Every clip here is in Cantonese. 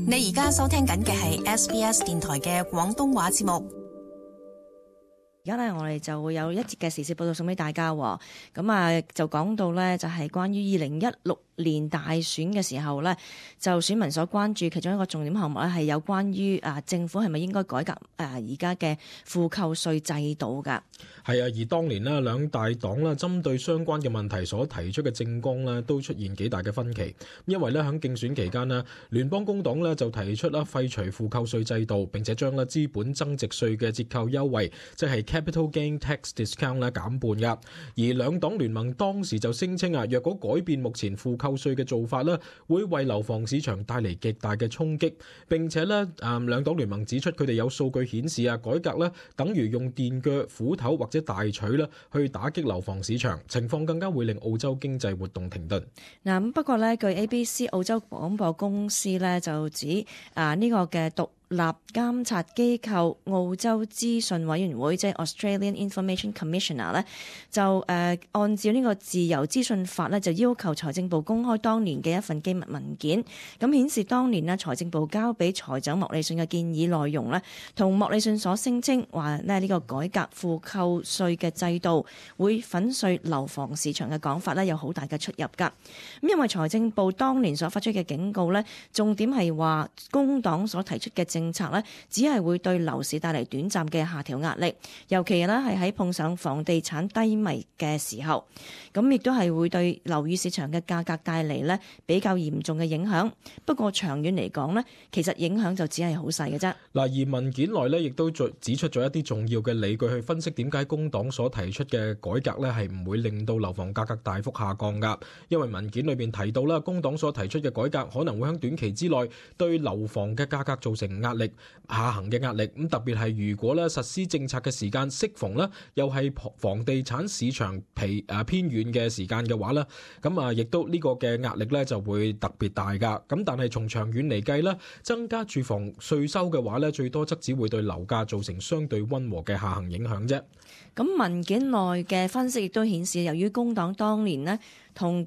你而家收聽緊嘅係 SBS 電台嘅廣東話節目。而家咧，我哋就會有一節嘅時事報道送俾大家。咁啊，就講到咧，就係關於2016年大選嘅時候咧，就選民所關注其中一個重點項目咧，係有關於政府係咪應該改革而家嘅負扣稅制度㗎？係啊，而當年呢，兩大黨啦針對相關嘅問題所提出嘅政綱呢，都出現幾大嘅分歧。因為咧喺競選期間呢，聯邦工黨呢就提出啦廢除負扣稅制度，並且將咧資本增值稅嘅折扣優惠，即係Capital Gain Tax Discount 咧減半㗎。而兩黨聯盟當時就聲稱若果改變目前負扣稅嘅做法咧，會為樓房市場帶嚟極大嘅衝擊。並且咧兩黨聯盟指出，佢哋有數據顯示改革咧等於用電鋸、斧頭或者大錘咧去打擊樓房市場，情況更加會令澳洲經濟活動停頓。咁不過咧，據 ABC 澳洲廣播公司咧就指呢個嘅獨立監察機構澳洲資訊委員會，即係 Australian Information Commissioner 咧，就按照呢個自由資訊法咧，就要求財政部公開當年嘅一份機密文件，咁顯示當年呢財政部交俾財長莫里遜嘅建議內容呢，同莫里遜所聲稱話呢個改革負扣稅嘅制度會粉碎樓房市場嘅講法呢，有好大嘅出入㗎。咁因為財政部當年所發出嘅警告呢，重點係話工黨所提出嘅政策呢，只係會對樓市帶嚟短暫嘅下調壓力，尤其呢係喺碰上房地產低迷嘅時候，咁亦都係會對樓宇市場嘅價格帶嚟呢比較嚴重嘅影響。不過長遠嚟講呢，其實影響就只係好細嘅啫。嗱，而文件內呢亦都指出咗一啲重要嘅理據去分析點解工黨所提出嘅改革呢係唔會令到樓房價格大幅下降㗎。因為文件裏邊提到啦，工黨所提出嘅改革可能會喺短期之內對樓房嘅價格造成壓力下行嘅壓力。咁特別係如果咧實施政策嘅時間適逢咧又係房地產市場偏遠嘅時間嘅話咧，咁亦都呢個嘅壓力咧就會特別大㗎。咁但係從長遠嚟計咧，增加住房稅收嘅話咧，最多則只會對樓價造成相對溫和嘅下行影響啫。咁文件內嘅分析亦都顯示，由於工黨當年呢同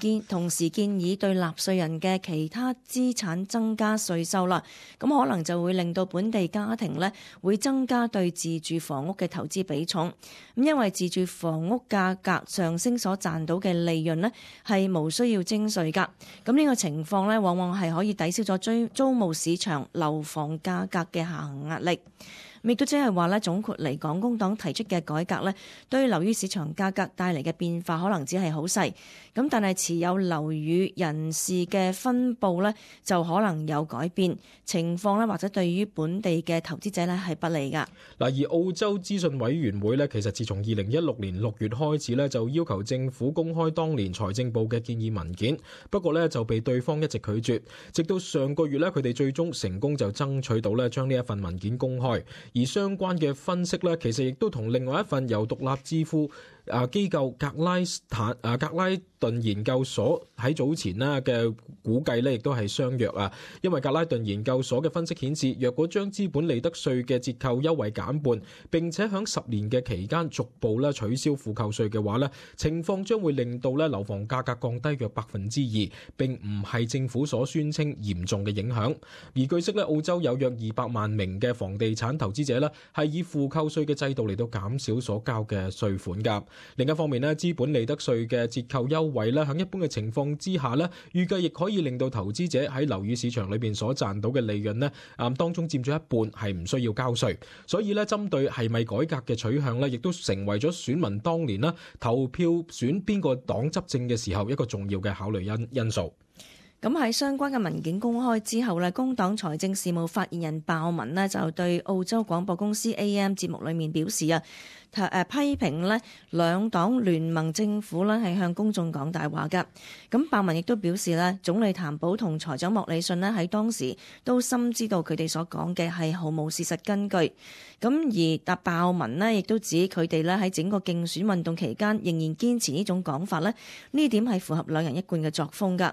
時建議對納稅人嘅其他資產增加稅收啦，咁可能就會令到本地家庭呢會增加對自住房屋嘅投資比重。咁因為自住房屋價格上升所賺到嘅利潤呢係無需要徵稅㗎。咁呢個情況呢往往係可以抵消咗租務市場樓房價格嘅下行壓力。亦都即係話咧，總括嚟講，工黨提出嘅改革咧，對樓宇市場價格帶嚟嘅變化可能只係好細，咁但係持有樓宇人士嘅分佈咧，就可能有改變情況咧，或者對於本地嘅投資者咧係不利㗎。嗱，而澳洲資訊委員會咧，其實自從2016年6月開始咧，就要求政府公開當年財政部嘅建議文件，不過咧就被對方一直拒絕，直到上個月咧，佢哋最終成功就爭取到咧將呢一份文件公開。而相關嘅分析咧，其實亦都同另外一份由獨立智庫機構格拉頓研究所喺早前呢嘅估計咧，亦都係相若啊。因為格拉頓研究所嘅分析顯示，若果將資本利得稅嘅折扣優惠減半，並且喺10年嘅期間逐步咧取消負扣稅嘅話咧，情況將會令到咧樓房價格降低約2%，並唔係政府所宣稱嚴重嘅影響。而據悉咧，澳洲有約200萬名嘅房地產投資者咧係以負扣稅嘅制度嚟到減少所交嘅稅款㗎。另一方面咧，資本利得稅嘅折扣優惠咧，喺一般嘅情況之下咧，預計亦可以令到投資者喺樓宇市場裏邊所賺到嘅利潤咧，當中佔咗一半係唔需要交稅。所以咧，針對係咪改革嘅取向咧，亦都成為咗選民當年啦投票選邊個黨執政嘅時候一個重要嘅考慮因素。咁喺相關嘅文件公開之後咧，工黨財政事務發言人鮑文呢就對澳洲廣播公司 AM 節目裏面表示批評咧兩黨聯盟政府咧係向公眾講大話㗎。咁鮑文亦都表示咧，總理譚寶同財長莫里遜咧喺當時都深知道佢哋所講嘅係毫無事實根據。咁而鮑文呢亦都指佢哋咧喺整個競選運動期間仍然堅持呢種講法咧，呢點係符合兩人一貫嘅作風㗎。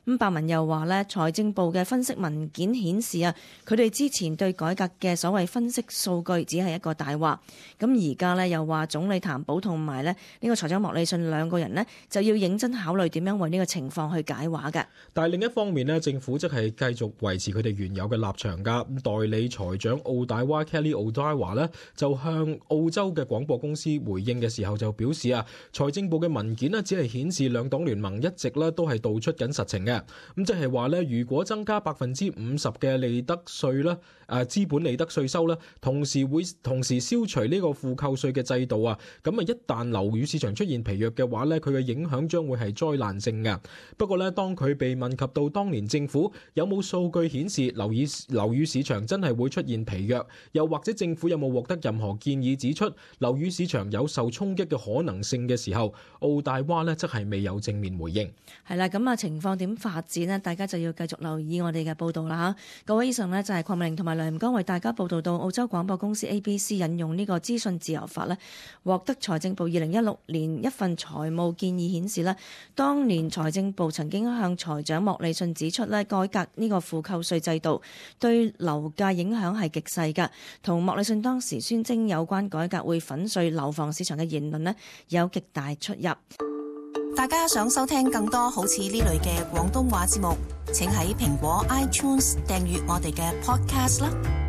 咁伯文又話咧，財政部嘅分析文件顯示啊，佢哋之前對改革嘅所謂分析數據只係一個大話。咁而家咧又話總理譚寶同埋咧呢個財長莫里遜兩個人呢，就要認真考慮點樣為呢個情況去解話嘅。但係另一方面呢，政府則係繼續維持佢哋原有嘅立場㗎。代理財長奧大娃 Kelly Odawa 呢，就向澳洲嘅廣播公司回應嘅時候就表示啊，財政部嘅文件呢，只係顯示兩黨聯盟一直咧都係道出緊實情嘅。咁即係話咧，如果增加50%嘅利得稅啦，資本利得稅收啦，同時消除呢個負扣稅嘅制度啊，咁啊一旦樓宇市場出現疲弱嘅話咧，佢嘅影響將會係災難性嘅。不過咧，當佢被問及到當年政府有冇數據顯示樓宇市場真係會出現疲弱，又或者政府有冇獲得任何建議指出樓宇市場有受衝擊嘅可能性嘅時候，奧大娃呢則係未有正面回應。係啦，咁啊情況點發展呢？大家就要繼續留意我哋嘅報道啦嚇。各位，以上呢就係鄺美玲同埋梁江為大家報道到澳洲廣播公司 ABC 引用呢個資訊自由法呢，獲得財政部2016年一份財務建議顯示呢，當年財政部曾經向財長莫里遜指出呢，改革呢個負扣稅制度對樓價影響係極細㗎，同莫里遜當時宣稱有關改革會粉碎樓房市場嘅言論呢，有極大出入。大家想收聽更多好似呢類嘅廣東話節目，請喺蘋果 iTunes 訂閱我哋嘅 podcast 啦。